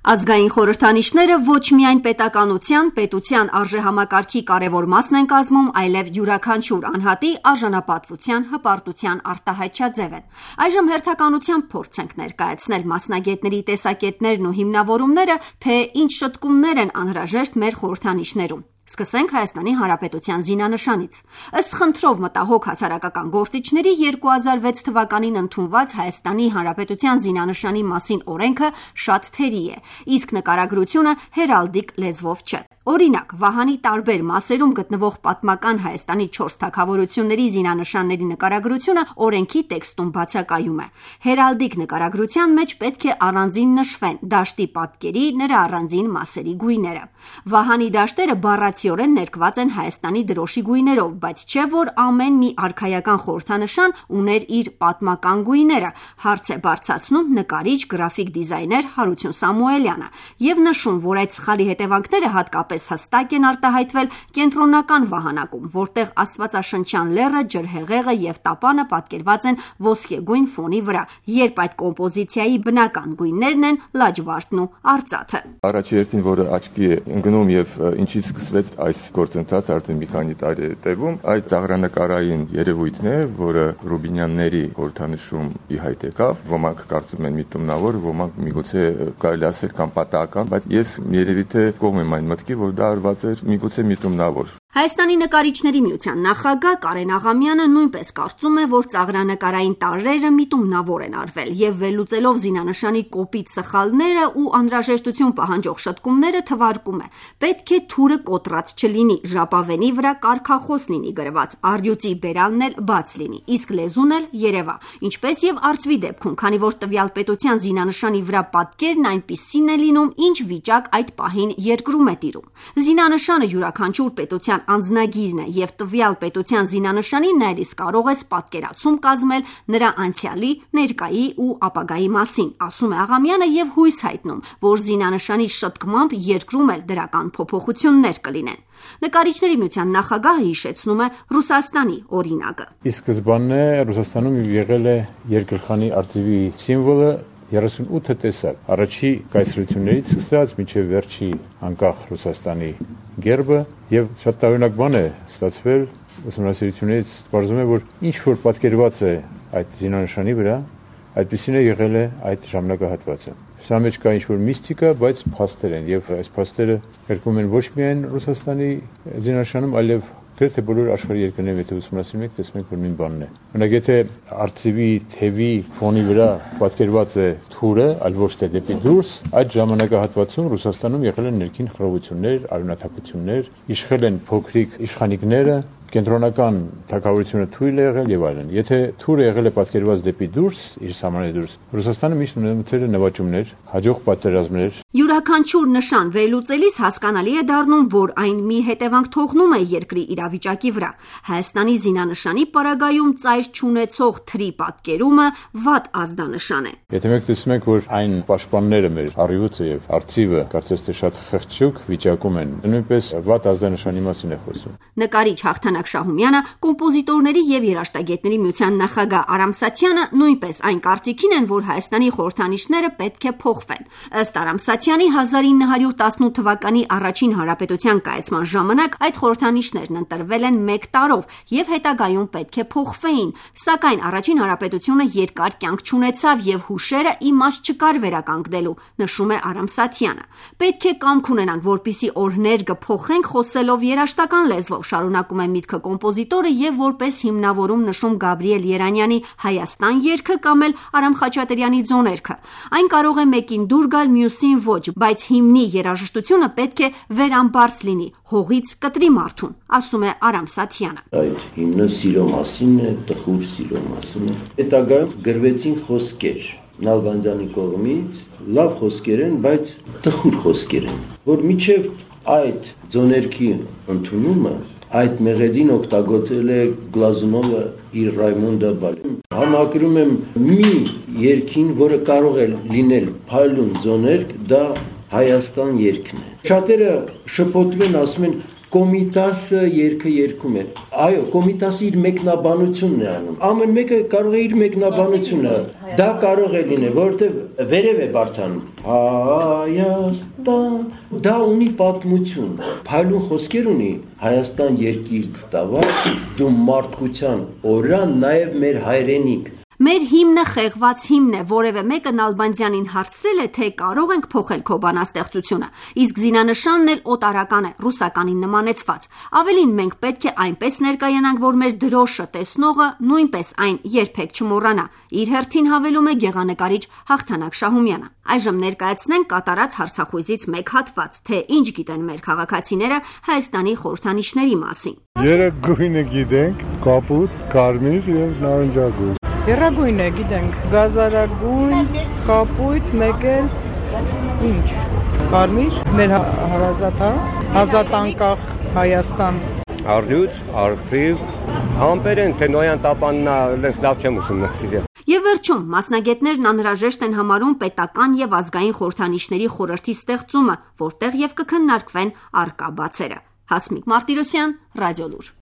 Ազգային խորհրդանիշները ոչ միայն պետականության, պետության արժեհամակարգի կարևոր մասն են կազմում, այլև յուրաքանչյուր անհատի արժանապատվության, հպարտության արտահայտչաձև են։ Այժմ հերթականությամբ փորձենք ներկայացնել մասնագետների տեսակետներն ու հիմնավորումները, թե ինչ շտկումներ են անհրաժեշտ մեր խորհրդանիշներում։ Սկսենք Հայաստանի Հանրապետության զինանշանից։ Ըստ խնդրով մտահոգ հասարակական գործիչների 2006 թվականին ընդունված Հայաստանի Հանրապետության զինանշանի մասին օրենքը շատ թերի է, իսկ նկարագրությունը հերալդիկ լեզվով չէ։ Օրինակ, Վահանի տարբեր մասերում գտնվող պատմական Հայաստանի 4 թագավորությունների զինանշանների նկարագրությունը օրենքի տեքստում բացակայում է։ Հերալդիկ նկարագրության մեջ պետք է առանձին նշվեն դաշտի պատկերի նրա առանձին մասերի գույները։ Վահանի դաշտերը բառացիորեն ներկված են Հայաստանի դրոշի գույներով, բայց չէ որ ամեն մի արքայական խորհրդանշան ուներ իր պատմական գույները, հարց է բարձրացնում նկարիչ, գրաֆիկ դիզայներ Հարություն Սամուելյանը եւ նշում, որ այդ սխալի հետևանքները հատկապես հստակ են արտահայտվել կենտրոնական վահանակում, որտեղ աստվածաշնչյան լեռը, ջրհեղեղը եւ տապանը պատկերված են ոսկեգույն ֆոնի վրա, երբ այդ կոմպոզիցիայի բնական գույներն են լաջվարդն ու արծաթը։ Առաջի հերթին, որը աչքի է ընկնում եւ ինչից սկսվեց այս գործընթացը արդեն մի քանի տարի է տևում, այդ ծաղրանկարային երևույթն է, որը Ռուբինյանների խորհրդանշում ի հայտ եկավ, ոմանք կարծում են միտումնավոր, ոմանք միգուցե կարելի ասել կամ պատահական, բայց ես երևի թե կողմ եմ այն մտքի, որ դա արված էր միգուցե միտումնավոր։ Հայաստանի նկարիչների միության նախագահ Կարեն Աղամյանը նույնպես կարծում է, որ ծաղրանկարային տարրերը միտումնավոր են արվել եւ վերլուծելով զինանշանի կոպիտ սխալները ու անհրաժեշտություն պահանջող շտկումները թվարկում է. պետք է թուրը կոտրած չլինի, ժապավենի վրա կարգախոս լինի գրված, առյուծի բերալն էլ բաց լինի, իսկ լեզուն էլ երևա, ինչպես եւ արծվի դեպքում, քանի որ տվյալ պետության զինանշանի վրա պատկերն այնպիսին է լինում, ինչ վիճակ այդ պահին երկրում է տիրում։ Զինանշանը յուրաքանչյուր պետության անձնագիրն է եւ տվյալ պետության զինանշանի ներիս կարող է պատկերացում կազմել նրա անցյալի, ներկայի ու ապագայի մասին, ասում է Աղամյանը եւ հույս հայտնում, որ զինանշանի շտկմամբ երկրում էլ դրական փոփոխություններ կլինեն։ Նկարիչների միության նախագահը հիշեցնում է Ռուսաստանի օրինակը։ Ի սկզբանե Ռուսաստանում եղել է երկրխանի արծիվի սիմվոլը 38 տեսակ, առաջի կայսրություններից սկսած մինչև վերջի անկախ Ռուսաստանի գերբը եւ շատ տարօրինակ բան է ստացվել ուսումնասիրություններից բարձում է, որ ինչ որ պատկերված է այդ զինանշանի վրա, այդպեսին է եղել է այդ ժամանակահատվածը։ Սա մեջ կա ինչ որ միստիկա, բայց փաստեր են եւ այս փաստերը կրկնում են ոչ միայն Ռուսաստանի զինանշանում, այլև գրեթե բոլոր աշխարհի երկրներում, եթե ուսումնասիրում եք, տեսնում եք, որ նույն բանն է։ Օրինակ, եթե արծիվի թևի ֆոնի վրա պատկերված է թուրը, այլ ոչ թե դեպի դուրս, այդ ժամանակահատվածում Ռուսաստանում եղել են ներքին խռովություններ, արյունաթափություններ, իշխել են փոքրիկ իշխանիկները, կենտրոնական թագավորությունը թույլ է եղել եւ այլն։ Եթե թուրը եղել է պատկերված դեպի դուրս, իր սահմանից դուրս, Ռուսաստանը միշտ ունեցել է նվաճումներ, հաջող պատերազմներ։ Յուրաքանչյուր նշան վերլուծելիս հասկանալի է դառնում, որ այն մի հետևանք թողնում է երկրի իրավիճակի վրա։ Հայաստանի զինանշանի պարագայում ծայր չունեցող թրի պատկերումը վատ ազդանշան է։ Եթե մենք տեսնում ենք, որ այն պաշտպանները մեր առյուծը եւ արծիվը կարծես թե շատ խղճուկ վիճակում են, նույնպես վատ ազդանշանի մասին է խոսում։ Նկարիչ Հաղթանակ Շահումյանը, կոմպոզիտորների եւ երաժշտագետների միության նախագահ Արամ Սաթյանը նույնպես այն կարծիքին են, որ Հայաստանի խորհրդանիշները պետք է փոխվեն։ Ըստ Արամ Սաթյանի 1918 թվականի առաջին հանրապետության կայացման ժամանակ այդ խորհրդանիշներն ընտրվել են 1 տարով եւ հետագայում պետք է փոխվեին, սակայն առաջին հանրապետությունը երկար կյանք չունեցավ եւ հուշերը իմաստ չկար վերականգնելու, նշում է Արամ Սաթյանը։ Պետք է կամք ունենանք, որպիսի օրհներ կփոխենք խոսելով երաժշտական լեզվով, շարունակում է միտքը կոմպոզիտորը եւ որպես հիմնավորում նշում Գաբրիել Երանյանի Հայաստան երգը կամ էլ Արամ Խաչատրյանի Ձոներքը։ Այն կարող է մեկին դուր գալ, մյուսին ոչ, բայց հիմնի երաժշտությունը պետք է վերամբարձ լինի, հողից կտրի մարդուն, ասում է Արամ Սաթյանը։ Այդ հիմնը սիրո մասին է, տխուր սիրո մասին է։ Հետագայում գրվեցին խոսքեր Նալբանդյանի կողմից, լավ խոսքեր են, բայց տխուր խոսքեր են, որ միջև այդ ձոներքի ընդունումը այդ մեղեդին օգտագործել է Գլազունովը իր Ռայմոնդը բալին։ Համակրում եմ մի երգին, որը կարող է լինել փայլուն ձոներք, դա Հայաստան երգն է։ Շատերը շփոթվում են, ասում են Կոմիտասը երգը երգում է։ Այո, Կոմիտասը իր մեկնաբանությունն է անում։ Ամեն մեկը կարող է իր մեկնաբանությունը։ Դա կարող է լինել, որովհետև վերև է բարձանում։ Հայաստան։ Դա ունի պատմություն։ Փայլուն խոսքեր ունի։ Հայաստան երկիր տավար, դու մարդկության օրան, նաև մեր հայրենիք։ Մեր հիմնը խեղված հիմն է, որևէ մեկը Նալբանդյանին հարցրել է, թե կարող ենք փոխել քո բանաստեղծությունը, իսկ զինանշանն էլ օտարական է, ռուսականին նմանեցված։ Ավելին, մենք պետք է այնպես ներկայանանք, որ մեր դրոշը տեսնողը նույնպես այն երբեք չմոռանա, իր հերթին հավելում է գեղանկարիչ Հաղթանակ Շահումյանը։ Այժմ ներկայացնենք կատարած հարցախույզից մեկ հատված, թե ինչ գիտեն մեր քաղաքացիները Հայաստանի խորհրդանիշների մասին։ Երեք գույնը գիտենք՝ կապույտ, կարմիր եւ նարնջագույն։ Եռագույն է, գիտենք, գազարագույն, կապույտ, մեկ էլ ինչ, կարմիր, մեր հարազատ, ազատ անկախ Հայաստան։ Արդյոց, արծիվ, համբեր են, թե նոյան տապաննա լենց լավ չեմ ուսումնասիրել։ Եվ վերջում, մասնագետներն անհրաժեշտ են համարում պետական եւ ազգային խորհրդանիշների խորհրդի ստեղծումը, որտեղ եւ կքննարկվեն առկա բացերը։ Հասմիկ Մարտիրոսյան, Ռադիոլուր։